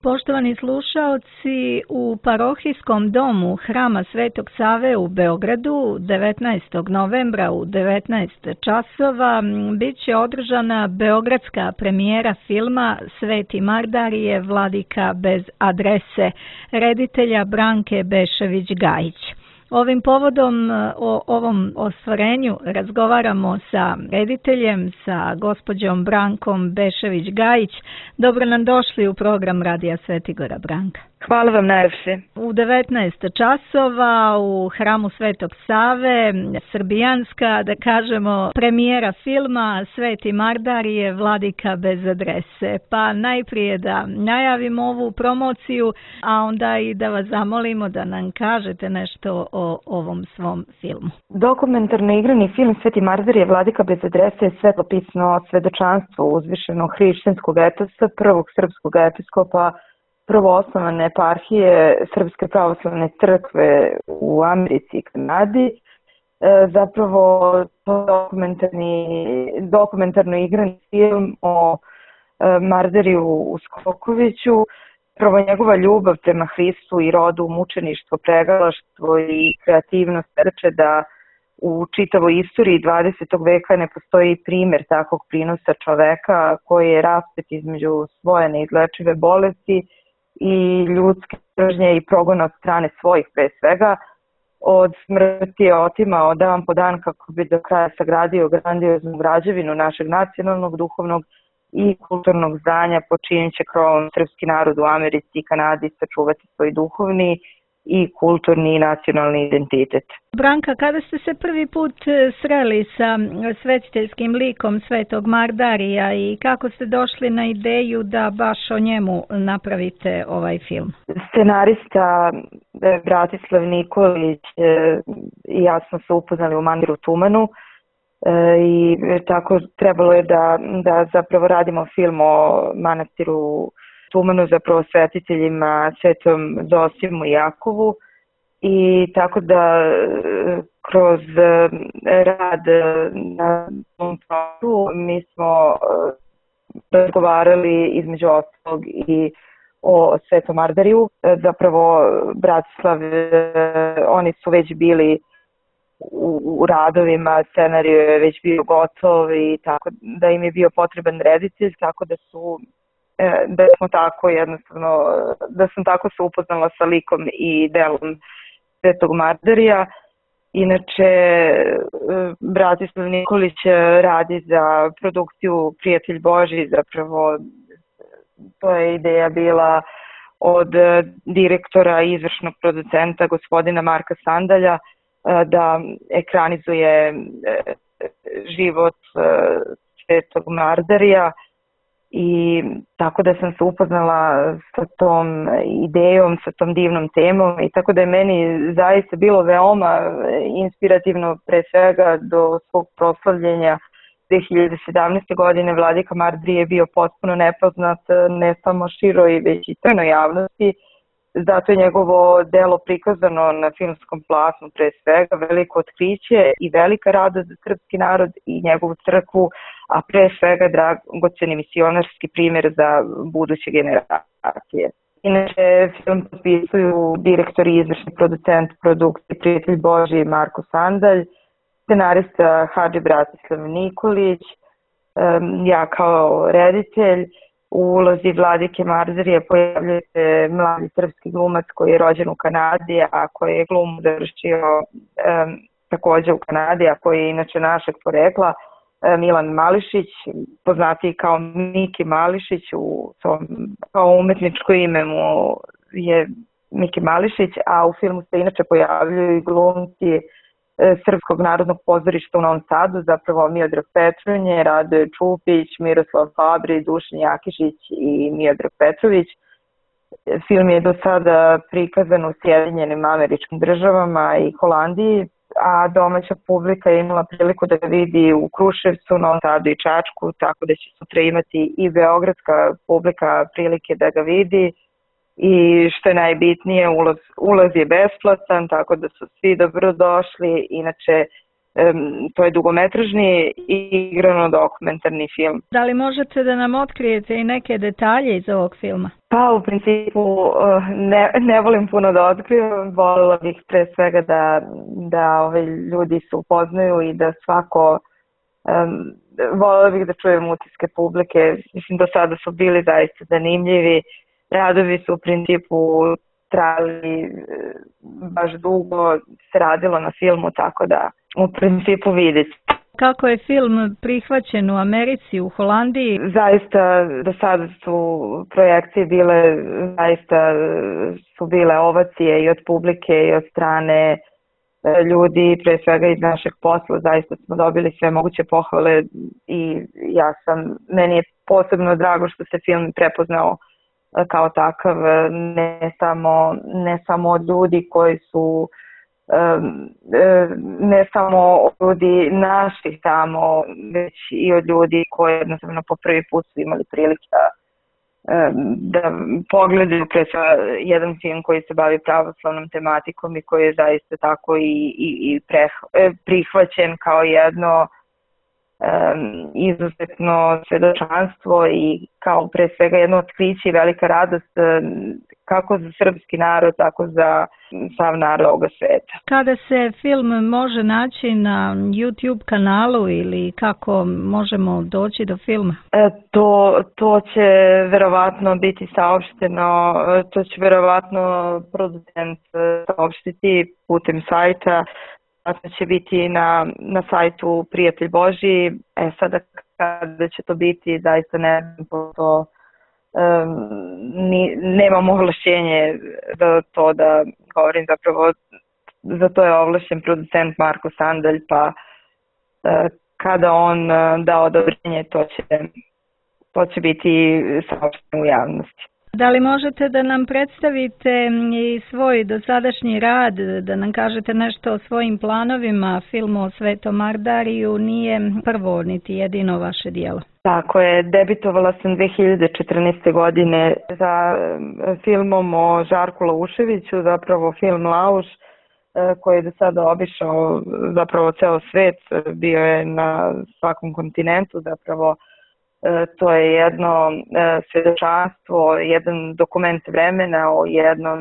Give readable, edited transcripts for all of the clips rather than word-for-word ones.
Poštovani slušaoci, u parohijskom domu Hrama Svetog Save u Beogradu 19. novembra u 19 časova bit će održana beogradska premijera filma Sveti Mardarije, Vladika bez adrese, reditelja Branke Bešević-Gajić. Ovim povodom o ovom ostvarenju razgovaramo sa rediteljem, sa gospođom Brankom Bešević-Gajić. Dobro nam došli u program Radija Svetigora, Branka. Hvala vam najljepše. U 19 časova u Hramu Svetog Save, srbijanska, da kažemo, premijera filma Sveti Mardarije, Vladika bez adrese. Pa najprije da najavimo ovu promociju, a onda i da vas zamolimo da nam kažete nešto o ovom svom filmu. Dokumentarno igrani film Sveti Mardarije, Vladika bez adrese je svetopisno svedočanstvo uzvišenog hrišćanskog etosa, prvog srpskog episkopa prvoosnovane eparhije Srpske pravoslavne crkve u Americi i Kanadi. Zapravo dokumentarno igrani film o Mardariju Uskokoviću. Prvo njegova ljubav prema Hristu i rodu, mučeništvo, pregalaštvo i kreativnost svedoče da u čitavoj istoriji 20. veka ne postoji primjer takvog prinosa čoveka koji je raspet između svoje neizlečive bolesti i ljudske mržnje i progona od strane svojih pre svega. Od smrti je otimao dan po dan kako bi do kraja sagradio grandioznu građevinu našeg nacionalnog, duhovnog i kulturnog zdanja, po čijim će krovom srpski narod u Americi i Kanadi sačuvati svoj duhovni i kulturni i nacionalni identitet. Branka, kada ste se prvi put sreli sa svetiteljskim likom Svetog Mardarija i kako ste došli na ideju da baš o njemu napravite ovaj film? Scenarista Bratislav Nikolić i ja smo se upoznali u Manastiru Tumanu i tako trebalo je da zapravo radimo film o Manastiru Tumanu, zapravo svetiteljima Svetom Zosimu i Jakovu, i tako da kroz rad na tom projektu mi smo razgovarali između ostalog i o Svetom Mardariju. Zapravo Bratislav, oni su već bili u radovima, scenarij je već bio gotov i tako da im je bio potreban reditelj, tako da sam tako se upoznala sa likom i delom Svetog Mardarija. Inače, Bratislav Nikolić radi za produkciju Prijatelj Božji, zapravo to je ideja bila od direktora i izvršnog producenta gospodina Marka Sandalja da ekranizuje život Svetog Mardarija. I tako da sam se upoznala sa tom idejom, sa tom divnom temom, i tako da je meni zaista bilo veoma inspirativno, pre svega do svog proslavljenja 2017. godine. Vladika Mardarije je bio potpuno nepoznat ne samo široj, već i crnoj javnosti. Zato je njegovo delo prikazano na filmskom platnu, pre svega veliko otkriće i velika radost za srpski narod i njegovu crkvu, a pre svega dragoceni misionarski primjer za buduće generacije. Inače, film potpisuju direktor i izvršni producent produkcije Prijatelj Božji Marko Sandalj, scenarista Hadži Bratislav Nikolić, ja kao reditelj. U ulozi Vladike Mardarije pojavljuje se mladi srpski glumac koji je rođen u Kanadi, a koji je glumu završio također u Kanadi, a koji je inače našeg porekla, Milan Mališić, poznatiji kao Miki Mališić, kao umetničko ime mu je Miki Mališić, a u filmu se inače pojavljuju i glumci Srpskog narodnog pozorišta u Novom Sadu, zapravo Miodrag Petronje, Radoje Čupić, Miroslav Fabri, Dušan Jakišić i Miodrag Petrović. Film je do sada prikazan u Sjedinjenim Američkim Državama i Holandiji, a domaća publika je imala priliku da ga vidi u Kruševcu, Novom Sadu i Čačku, tako da će sutra imati i beogradska publika prilike da ga vidi. I što je najbitnije, ulaz je besplatan, tako da su svi dobrodošli. Inače, to je dugometražni i igrano-dokumentarni film. Da li možete da nam otkrijete i neke detalje iz ovog filma? Pa u principu ne volim puno da otkrivam, voljela bih pre svega da ljudi se upoznaju i da svako, voljela bih da čujem utiske publike, mislim do sada su bili zaista zanimljivi, radovi su u principu trajali baš dugo, se radilo na filmu, tako da u principu vidite. Kako je film prihvaćen u Americi, u Holandiji? Zaista do sada su projekcije bile, zaista su bile ovacije i od publike i od strane ljudi, pre svega iz našeg posla, zaista smo dobili sve moguće pohvale i meni je posebno drago što se film prepoznao kao takav, ne samo od ljudi koji su ne samo od ljudi naših tamo, već i od ljudi koji jednostavno po prvi put su imali prilike da pogledaju pre jedan film koji se bavi pravoslavnom tematikom i koji je zaista tako i prihvaćen kao jedno izuzetno svedočanstvo i kao pre svega jedno otkriće i velika radost kako za srpski narod, tako za sav narod ovoga sveta. Kada se film može naći na YouTube kanalu ili kako možemo doći do filma? To će verovatno biti saopšteno, to će verovatno producent saopštiti putem sajta. To će biti na sajtu Prijatelj Božji. Sada kada će to biti, zaista ne znam to, nemam ovlašćenje za to da govorim, zapravo za to je ovlašćen producent Marko Sandalj, pa kada on da odobrenje, to će biti saopšteno u javnosti. Da li možete da nam predstavite i svoj dosadašnji rad, da nam kažete nešto o svojim planovima? Film o Svetom Ardariju nije prvo niti jedino vaše dijelo. Tako je, debitovala sam 2014. godine za filmom o Žarku Lauševiću, zapravo film Lauš, koji je do sada obišao zapravo ceo svet, bio je na svakom kontinentu, zapravo to je jedno svedočanstvo, jedan dokument vremena o jednom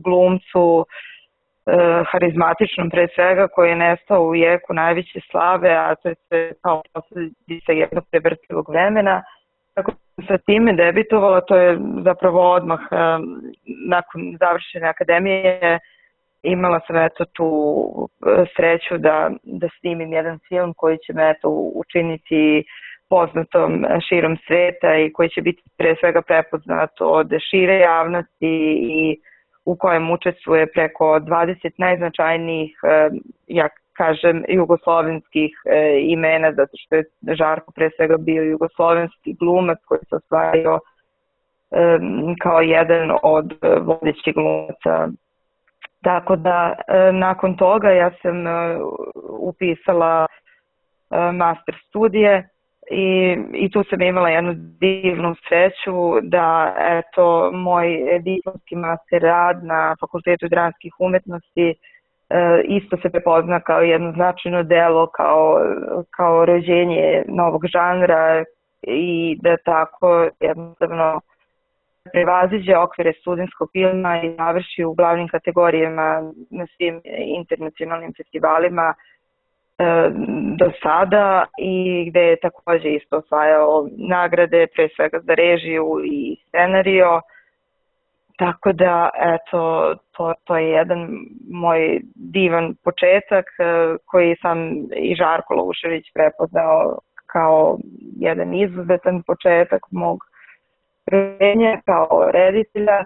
glumcu, harizmatičnom pre svega, koji je nestao u jeku najveće slave, a to je sve kao posledica jednog prevrtlivog vremena. Tako sa time debitovala, to je zapravo odmah nakon završene akademije, imala sam tu sreću da snimim jedan film koji će me učiniti poznatom širom sveta i koji će biti pre svega prepoznat od šire javnosti i u kojem učestvuje preko 20 najznačajnijih, ja kažem, jugoslovenskih imena, zato što je Žarko pre svega bio jugoslovenski glumac koji se ostvario kao jedan od vodećih glumaca. Tako da nakon toga ja sam upisala master studije i tu sam imala jednu divnu sreću da moj diplomski master rad na Fakultetu dramskih umetnosti isto se prepozna kao jedno značajno delo, kao rođenje novog žanra i da tako jednostavno prevaziđe okvire studentskog filma i završi u glavnim kategorijama na svim internacionalnim festivalima do sada i gde je takođe isto osvajao nagrade, pre svega za režiju i scenario. Tako da, to je jedan moj divan početak koji sam i Žarko Laušević prepoznao kao jedan izuzetan početak mog rođenja kao reditelja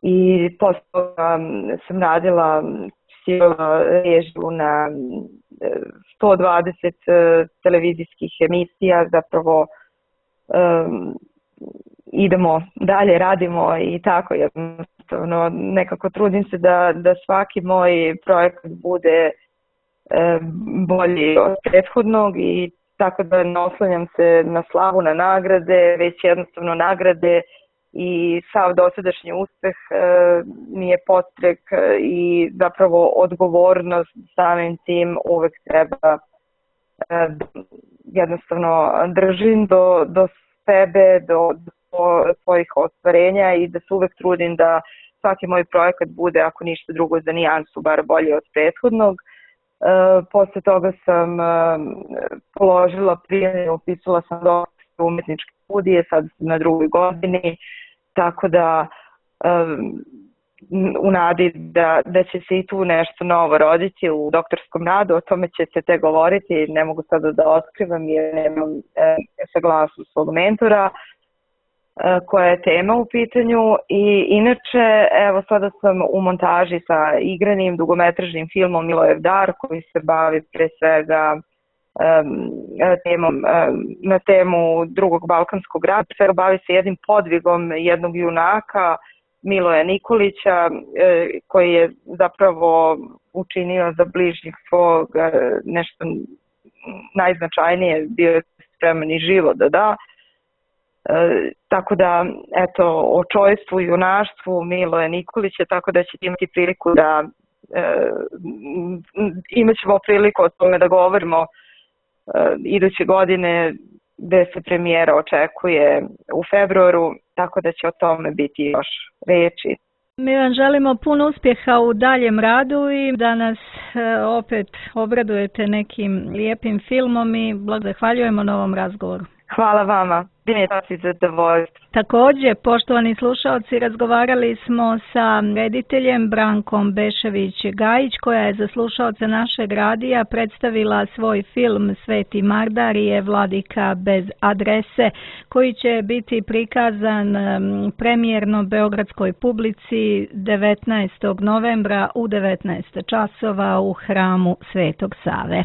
i posle toga sam radila režiju na 120 televizijskih emisija, zapravo idemo dalje, radimo i tako jednostavno nekako trudim se da svaki moj projekat bude bolji od prethodnog i tako da ne oslanjam se na slavu, na nagrade, već jednostavno nagrade i sav dosadašnji uspeh mi je podstrek i zapravo odgovornost samim tim uvek treba jednostavno držim do sebe, do svojih ostvarenja i da se uvek trudim da svaki moj projekat bude, ako ništa drugo, za nijansu bar bolje od prethodnog. Posle toga sam položila prijemljenje, upisala sam doktorske umetničke studije, sad sam na 2. godini, tako da u nadi da će se i tu nešto novo roditi u doktorskom radu, o tome će se te govoriti, ne mogu sada da otkrivam jer nemam saglasnost svog mentora koja je tema u pitanju. I inače, evo sada sam u montaži sa igranim dugometražnim filmom Milojev dar, koji se bavi pre svega na temu Drugog balkanskog rata. Pre svega bavi se jednim podvigom jednog junaka, Miloja Nikolića, koji je zapravo učinio za bližnjih svog nešto najznačajnije, bio je spreman i život da da. Tako da, eto, o čojstvu i junaštvu Miloja Nikolića, tako da ćete imati priliku da imat ćemo priliku o tome da govorimo iduće godine, gde se premijera očekuje u februaru, tako da će o tome biti još reči. Mi vam želimo puno uspjeha u daljem radu i da nas opet obradujete nekim lijepim filmom i zahvaljujemo na ovom razgovoru. Hvala vama. Bilo je sasvim zadovoljstvo. Također, poštovani slušalci, razgovarali smo sa rediteljem Brankom Bešević-Gajić, koja je za slušalce našeg radija predstavila svoj film Sveti Mardarije, Vladika bez adrese, koji će biti prikazan premijerno beogradskoj publici 19. novembra u 19 časova u hramu Svetog Save.